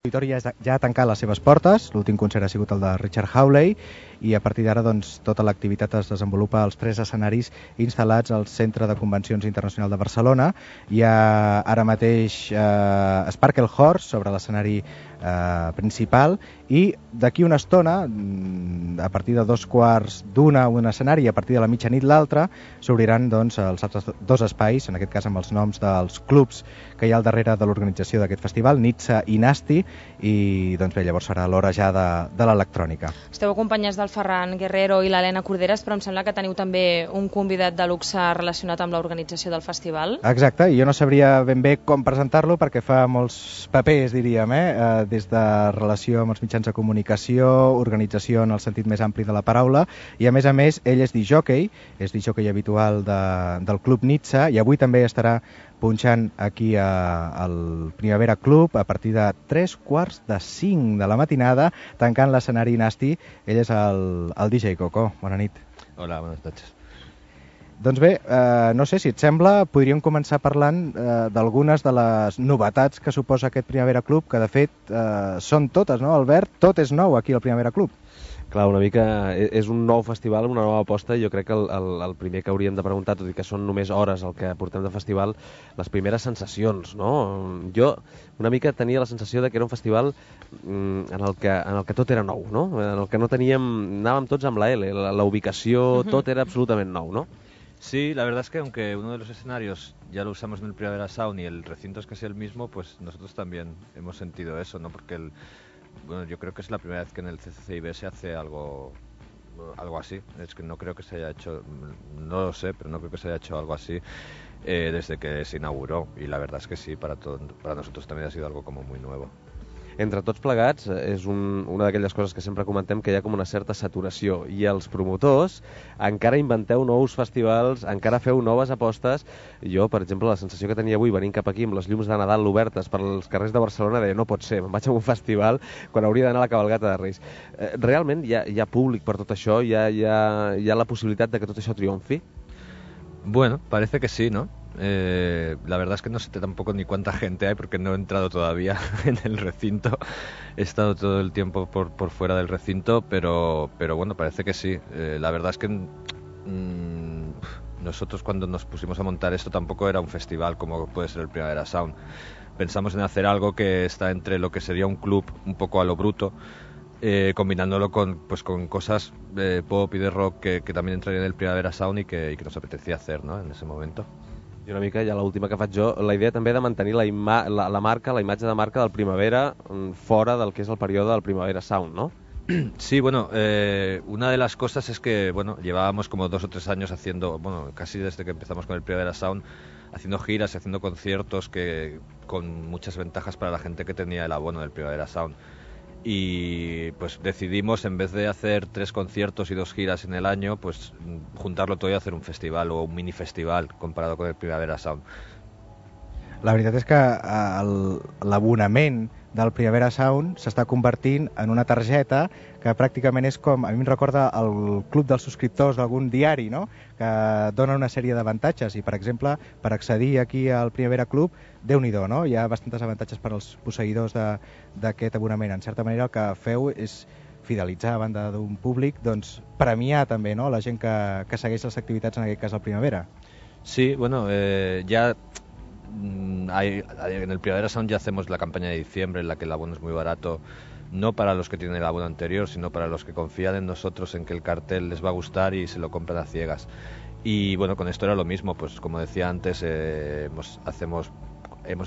L'auditori ja ha tancat les seves portes, l'últim concert ha sigut el de Richard Hawley i a partir d'ara tota l'activitat es desenvolupa als 3 escenaris instal·lats al Centre de Convencions Internacional de Barcelona. Hi ha ara mateix Sparkle Horse sobre l'escenari principal i d'aquí una estona, a partir de 2:15 un escenari i a partir de la mitjanit l'altre, s'obriran els altres 2 espais, en aquest cas amb els noms dels clubs que hi ha al darrere de l'organització d'aquest festival, Nitsa i Nasti, i bé, llavors serà l'hora ja de l'electrònica. Esteu acompanyats del Ferran Guerrero i l'Helena Corderes, però em sembla que teniu també un convidat de luxe relacionat amb l'organització del festival. Exacte, i jo no sabria ben bé com presentar-lo perquè fa molts papers, diríem, des de relació amb els mitjans de comunicació, organització en el sentit més ampli de la paraula, i a més, ell és discjòquei habitual del Club Nitsa, i avui també estarà punxant aquí al Primavera Club a partir de 3:45 de la matinada, tancant l'escenari Nasti. Ell és el DJ Coco. Bona nit. Hola, buenas noches. Doncs bé, no sé si et sembla, podríem començar parlant d'algunes de les novetats que suposa aquest Primavera Club, que de fet són totes, no, Albert? Tot és nou aquí al Primavera Club. Clar, una mica és un nou festival, una nova aposta, i jo crec que el primer que hauríem de preguntar, tot i que són només hores el que portem de festival, les primeres sensacions, no? Jo una mica tenia la sensació de que era un festival en el que tot era nou, no? En el que no anàvem tots amb la L, la ubicació, tot era absolutament nou, no? Sí, la verdad es que aunque uno de los escenarios ya lo usamos en el Primavera Sound y el recinto es casi el mismo, pues nosotros también hemos sentido eso, ¿no? Porque bueno, yo creo que es la primera vez que en el CCCIB se hace algo así. Es que no creo que se haya hecho, no lo sé, pero no creo que se haya hecho algo así desde que se inauguró. Y la verdad es que sí, para nosotros también ha sido algo como muy nuevo. Entre tots plegats, és una d'aquelles coses que sempre comentem, que hi ha com una certa saturació, i els promotors encara inventeu nous festivals, encara feu noves apostes. Jo, per exemple, la sensació que tenia avui venint cap aquí amb les llums de Nadal obertes pels carrers de Barcelona, deia, no pot ser, me'n vaig a un festival quan hauria d'anar a la cabalgata de Reis. Realment hi ha públic per tot això? Hi ha la possibilitat de que tot això triomfi? Bueno, parece que sí, ¿no? La verdad es que no sé tampoco ni cuánta gente hay porque no he entrado todavía en el recinto. He estado todo el tiempo por fuera del recinto, pero bueno, parece que sí. La verdad es que nosotros cuando nos pusimos a montar esto tampoco era un festival como puede ser el Primavera Sound. Pensamos en hacer algo que está entre lo que sería un club un poco a lo bruto, combinándolo con cosas pop y de rock que también entrarían en el Primavera Sound y que nos apetecía hacer, ¿no? En ese momento. I una mica, ja l'última que faig jo, la idea també de mantenir la marca, la imatge de marca del Primavera fora del que és el període del Primavera Sound, ¿no? Sí, bueno, una de las cosas es que, bueno, llevábamos como 2 o 3 años haciendo, bueno, casi desde que empezamos con el Primavera Sound, haciendo giras y haciendo conciertos con muchas ventajas para la gente que tenía el abono del Primavera Sound. Y pues decidimos, en vez de hacer 3 conciertos y 2 giras en el año, pues juntarlo todo y hacer un festival o un mini festival comparado con el Primavera Sound. La veritat és que l'abonament del Primavera Sound s'està convertint en una targeta que pràcticament és com, a mi em recorda el club dels subscriptors d'algun diari, no? Que dona una sèrie d'avantatges i, per exemple, per accedir aquí al Primavera Club, Déu-n'hi-do, no? Hi ha bastants avantatges per als posseïdors d'aquest abonament. En certa manera el que feu és fidelitzar a banda d'un públic, doncs premiar també, no? La gent que segueix les activitats, en aquest cas al Primavera. Sí, bueno, ya en el Primavera Sound ya hacemos la campaña de diciembre en la que el abono es muy barato, no para los que tienen el abono anterior, sino para los que confían en nosotros, en que el cartel les va a gustar y se lo compran a ciegas. Y bueno, con esto era lo mismo, pues como decía antes, hemos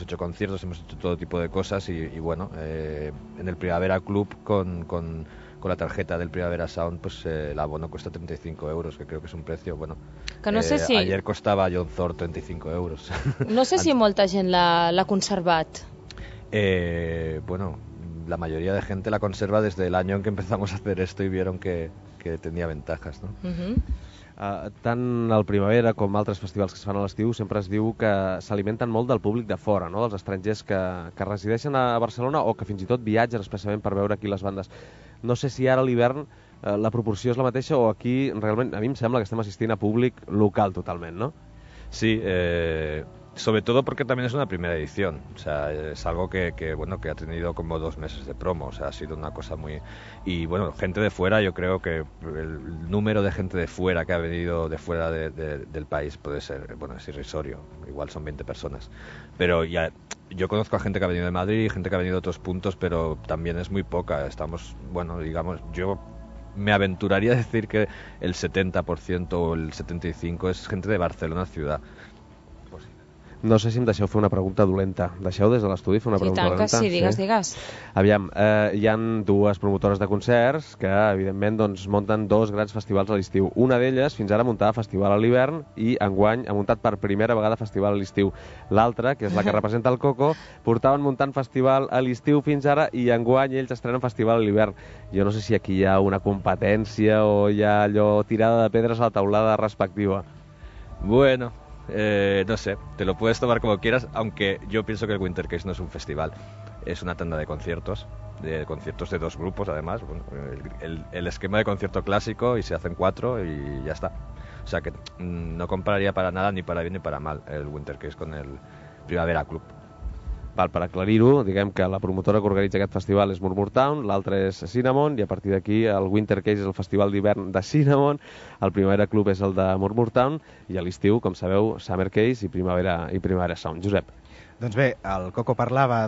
hecho conciertos, hemos hecho todo tipo de cosas y bueno, en el Primavera Club con la tarjeta del Primavera Sound, pues el abono cuesta 35 euros, que creo que es un precio, bueno, que no sé si... ayer costaba John Thor 35 euros. No sé si molta gent l'ha conservat. Bueno, la mayoría de gente la conserva desde el año en que empezamos a hacer esto y vieron que tenía ventajas, ¿no? Tant el Primavera com altres festivals que es fan a l'estiu sempre es diu que s'alimenten molt del públic de fora, no? Dels estrangers que resideixen a Barcelona o que fins i tot viatgen expressament per veure aquí les bandes. No sé si ara a l'hivern la proporció és la mateixa o aquí realment a mi em sembla que estem assistint a públic local totalment, no? Sí, sobre todo porque también es una primera edición, o sea, es algo que ha tenido como 2 meses de promo, o sea, ha sido una cosa muy... Y bueno, gente de fuera, yo creo que el número de gente de fuera que ha venido de fuera del país puede ser, bueno, es irrisorio, igual son 20 personas, pero ya... Yo conozco a gente que ha venido de Madrid, gente que ha venido de otros puntos, pero también es muy poca. Estamos, bueno, digamos, yo me aventuraría a decir que el 70% o el 75% és gente de Barcelona ciutat. No sé si em deixeu fer una pregunta dolenta. Deixeu des de l'estudi fer una pregunta dolenta? Sí, digues. Aviam, hi han 2 promotores de concerts que, evidentment, doncs, munten 2 grans festivals a l'estiu. Una d'elles, fins ara, muntava festival a l'hivern i enguany ha muntat per primera vegada festival a l'estiu. L'altra, que és la que representa el Coco, portaven muntant festival a l'estiu fins ara i enguany ells estrenen festival a l'hivern. Jo no sé si aquí hi ha una competència o hi ha allò tirada de pedres a la taulada respectiva. Bueno... no sé, te lo puedes tomar como quieras, aunque yo pienso que el Winter Case no es un festival, es una tanda de conciertos de 2 grupos además, bueno, el esquema de concierto clásico y se hacen 4 y ya está, o sea que no compararía para nada ni para bien ni para mal el Winter Case con el Primavera Club. Val, per aclarir-ho, diguem que la promotora que organitza aquest festival és Murmurtown, l'altra és Cinnamon, i a partir d'aquí el Winter Case és el festival d'hivern de Cinnamon, el Primavera Club és el de Murmurtown, i a l'estiu, com sabeu, Summer Case i Primavera Sound. Josep. Doncs bé, el Coco parlava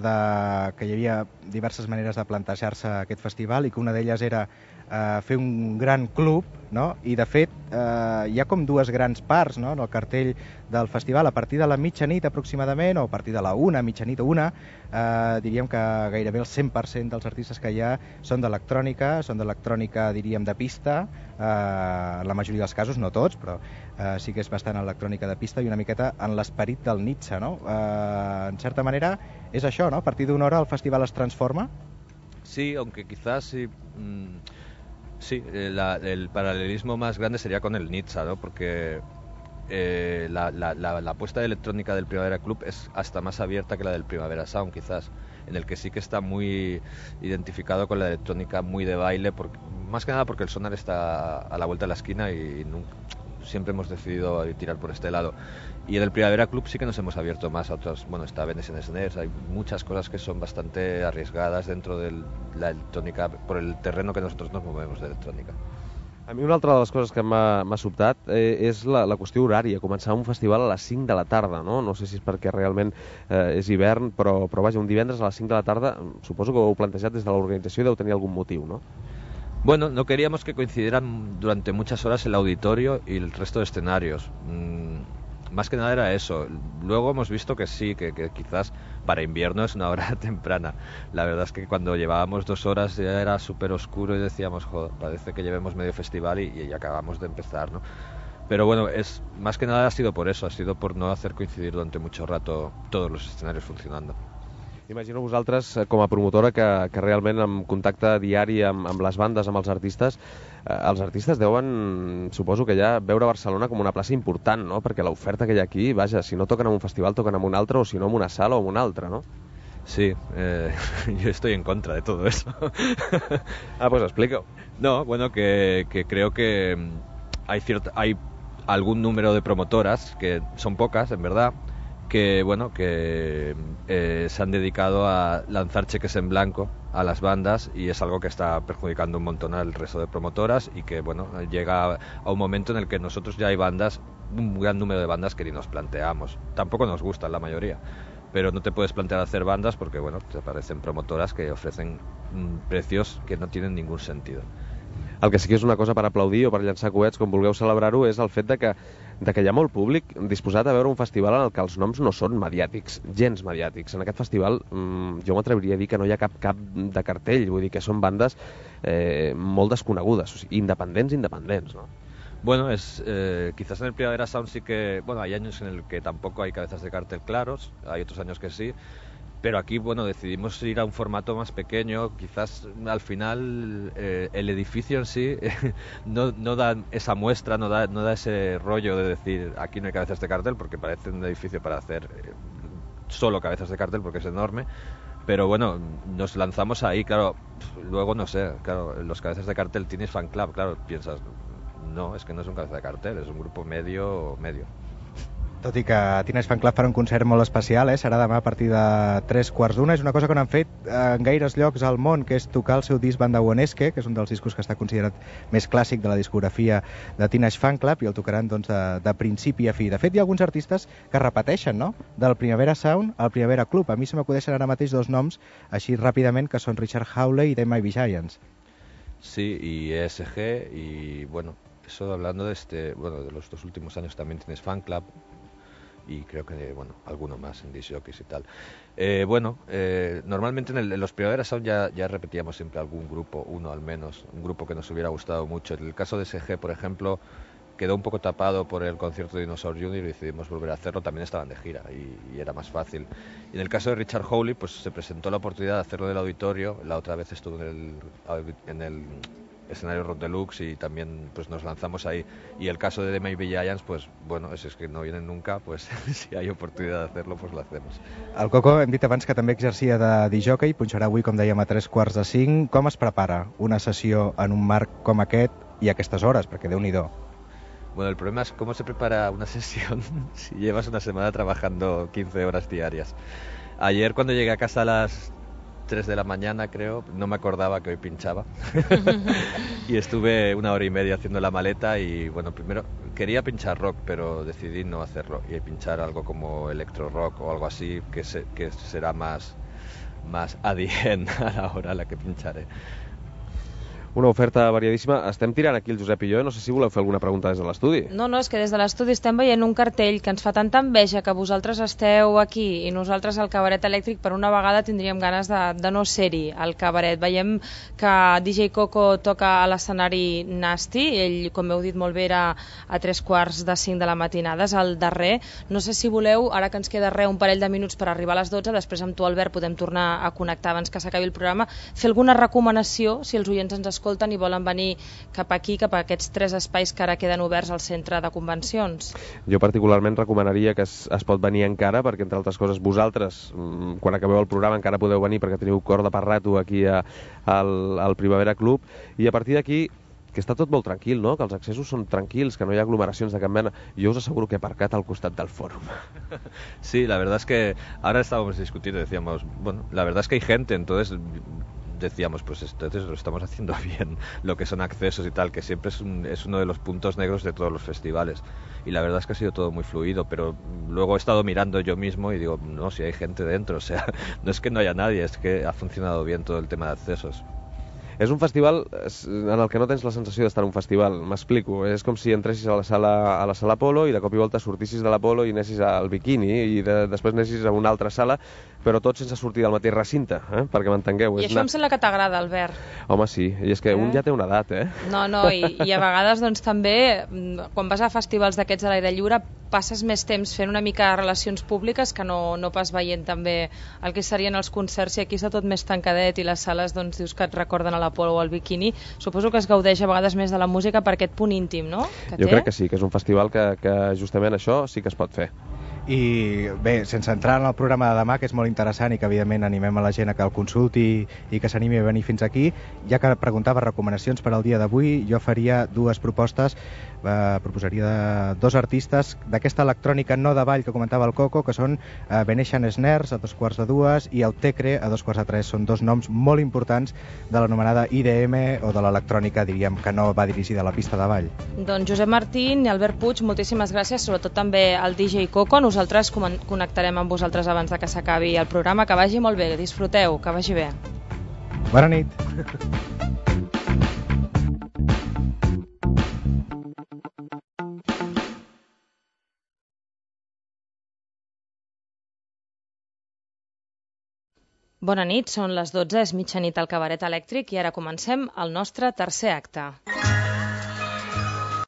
que hi havia diverses maneres de plantejar-se aquest festival i que una d'elles era fer un gran club, no? I de fet hi ha com 2 grans parts, no? En el cartell del festival. A partir de la mitjanit aproximadament, o a partir de la 1, mitjanit o 1, diríem que gairebé el 100% dels artistes que hi ha són d'electrònica, diríem, de pista, la majoria dels casos, no tots, però sí que és bastant electrònica de pista i una miqueta en l'esperit del Nietzsche, no? En certa manera és això, ¿no? A partir d'una hora el festival es transforma. Sí, aunque quizás sí, el paralelismo más grande sería con el Nietzsche, ¿no? Porque la apuesta de electrónica del Primavera Club es hasta más abierta que la del Primavera Sound, quizás, en el que sí que está muy identificado con la electrónica muy de baile, más que nada porque el sonar está a la vuelta de la esquina y siempre hemos decidido tirar por este lado. Y en el Primavera Club sí que nos hemos abierto más a otros, bueno, está Venetian Snares, hay muchas cosas que son bastante arriesgadas dentro de la electrónica, por el terreno que nosotros nos movemos de electrónica. A mi una altra de les coses que m'ha sobtat és la qüestió horària, començar un festival a les 5 de la tarda, no? No sé si és perquè realment és hivern, però vaja, un divendres a les 5 de la tarda, suposo que ho heu plantejat des de l'organització i deu tenir algun motiu, no? Bueno, no queríamos que coincidieran durante muchas horas el auditorio y el resto de escenarios. Más que nada era eso. Luego hemos visto que sí, que quizás para invierno es una hora temprana. La verdad es que cuando llevábamos 2 horas ya era súper oscuro y decíamos, joder, parece que llevemos medio festival y acabamos de empezar, ¿no? Pero bueno, más que nada ha sido por eso, ha sido por no hacer coincidir durante mucho rato todos los escenarios funcionando. Imagino vosaltres, com a promotora, que realment en contacte diari amb les bandes, amb els artistes deuen, suposo que ja, veure Barcelona com una plaça important, no? Perquè l'oferta que hi ha aquí, vaja, si no toquen en un festival, toquen en un altre, o si no en una sala o en una altra, no? Sí, yo estoy en contra de todo eso. Pues explico. No, bueno, que creo que hay algún número de promotoras, que son pocas, en verdad, que se han dedicado a lanzar cheques en blanco a las bandas y es algo que está perjudicando un montón al resto de promotoras y que llega a un momento en el que nosotros ya hay bandas, un gran número de bandas que ni nos planteamos. Tampoco nos gustan la mayoría, pero no te puedes plantear hacer bandas porque te aparecen promotoras que ofrecen precios que no tienen ningún sentido. El que sí que és una cosa per aplaudir o per llançar coets, com vulgueu celebrar-ho, és el fet de que hi ha molt públic disposat a veure un festival en el que els noms no són mediàtics, gens mediàtics. En aquest festival jo m'atreviria a dir que no hi ha cap de cartell, vull dir que són bandes molt desconegudes, o sigui, independents, no? Bueno, quizás en el Primavera Sound sí que, hay años en el que tampoco hay cabezas de cartel claros, hay otros años que sí, pero aquí, decidimos ir a un formato más pequeño, quizás al final el edificio en sí no da esa muestra, no da ese rollo de decir aquí no hay cabezas de cartel, porque parece un edificio para hacer solo cabezas de cartel porque es enorme, pero nos lanzamos ahí, claro, luego no sé, claro, los cabezas de cartel tienes fan club, claro, piensas, no, es que no es un cabeza de cartel, es un grupo medio. Tot i que Teenage Fanclub farà un concert molt especial, serà demà a partir de 3:15. És una cosa que no han fet en gaires llocs al món, que és tocar el seu disc Banda Uonesque, que és un dels discos que està considerat més clàssic de la discografia de Teenage Fanclub, i el tocaran doncs, de principi a fi. De fet, hi ha alguns artistes que repeteixen, no?, del Primavera Sound al Primavera Club. A mi se m'acudeixen ara mateix dos noms, així ràpidament, que són Richard Hawley i The Mighty Giants. Sí, y ESG, y bueno, eso hablando de los 2 últimos años también tienes Fan Club, y creo que, bueno, alguno más en disc jockeys y tal. Normalmente en los Primavera Sound ya repetíamos siempre algún grupo, uno al menos, un grupo que nos hubiera gustado mucho. En el caso de SG, por ejemplo, quedó un poco tapado por el concierto de Dinosaur Jr. y decidimos volver a hacerlo. También estaban de gira y era más fácil. Y en el caso de Richard Hawley, pues se presentó la oportunidad de hacerlo del auditorio. La otra vez estuvo en el escenario Rock Deluxe y también pues nos lanzamos ahí. Y el caso de The Mighty Giants, pues bueno, es que no vienen nunca, pues si hay oportunidad de hacerlo, pues lo hacemos. El Coco, hem dit abans que també exercia de disc-jockey, punxarà avui, com dèiem, a 3:45. Com es prepara una sessió en un marc com aquest i a aquestes hores? Perquè Déu-n'hi-do. Bueno, el problema es cómo se prepara una sesión si llevas una semana trabajando 15 horas diarias. Ayer cuando llegué a casa a las 3 de la mañana, creo, no me acordaba que hoy pinchaba. Y estuve 1 hora y media haciendo la maleta y, bueno, primero quería pinchar rock, pero decidí no hacerlo y pinchar algo como electro rock o algo así que será más adient a la hora a la que pincharé. Una oferta variadíssima. Estem tirant aquí el Josep i jo, no sé si voleu fer alguna pregunta des de l'estudi. No, és que des de l'estudi estem veient un cartell que ens fa tanta enveja que vosaltres esteu aquí i nosaltres al Cabaret Elèctric. Per una vegada tindríem ganes de no ser-hi al cabaret. Veiem que DJ Coco toca a l'escenari Nasty, ell, com heu dit molt bé, era a 3:45 de la matinada, és el darrer. No sé si voleu, ara que ens queda un parell de minuts per arribar a les 12, després amb tu, Albert, podem tornar a connectar abans que s'acabi el programa, fer alguna recomanació si els oients ens escolten i volen venir cap aquí, cap a aquests 3 espais que ara queden oberts al centre de convencions. Jo particularment recomanaria que es pot venir encara, perquè entre altres coses vosaltres, quan acabeu el programa, encara podeu venir perquè teniu corda per rato aquí al Primavera Club, i a partir d'aquí que està tot molt tranquil, ¿no? Que els accessos són tranquils, que no hi ha aglomeracions de cap mena. Jo us asseguro que he aparcat al costat del fòrum. Sí, la verdad es que ahora estábamos discutiendo, decíamos, bueno, la verdad es que hay gente, entonces decíamos, pues entonces lo estamos haciendo bien, lo que son accesos y tal, que siempre es uno de los puntos negros de todos los festivales. Y la verdad es que ha sido todo muy fluido, pero luego he estado mirando yo mismo y digo, no, si hay gente dentro, o sea, no es que no haya nadie, es que ha funcionado bien todo el tema de accesos. És un festival en el que no tens la sensació d'estar en un festival, m'explico. És com si entressis a la sala Apolo i de cop i volta sortissis de l'Apolo i anessis al Bikini i després anessis a una altra sala, però tot sense sortir del mateix recinte, perquè m'entengueu. I això em sembla que t'agrada, Albert. Home, sí, i és que un ja té una edat, No, i a vegades doncs també, quan vas a festivals d'aquests a l'aire lliure, passes més temps fent una mica de relacions públiques que no pas veient també el que serien els concerts, i aquí està tot més tancadet i les sales doncs dius que et recorden a l'Apolo o al Bikini. Suposo que es gaudeix a vegades més de la música per aquest punt íntim, no? Jo crec que sí, que és un festival que justament això sí que es pot fer. I bé, sense entrar en el programa de demà, que és molt interessant i que evidentment animem a la gent a que el consulti i que s'animi a venir fins aquí, ja que preguntava recomanacions per al dia d'avui, jo faria 2 propostes. Proposaria 2 artistes d'aquesta electrònica no de ball que comentava el Coco, que són Venetian Snares a 2:45 i Autecre a 2:45. Són 2 noms molt importants de l'anomenada IDM o de l'electrònica, diríem, que no va dirigida a la pista de ball. Doncs Josep Martín i Albert Puig, moltíssimes gràcies, sobretot també al DJ Coco. Nosaltres connectarem amb vosaltres abans de que s'acabi el programa. Que vagi molt bé, disfruteu, que vagi bé. Bona nit. Bona nit, són les 12, és mitjanit al Cabaret Elèctric i ara comencem el nostre tercer acte.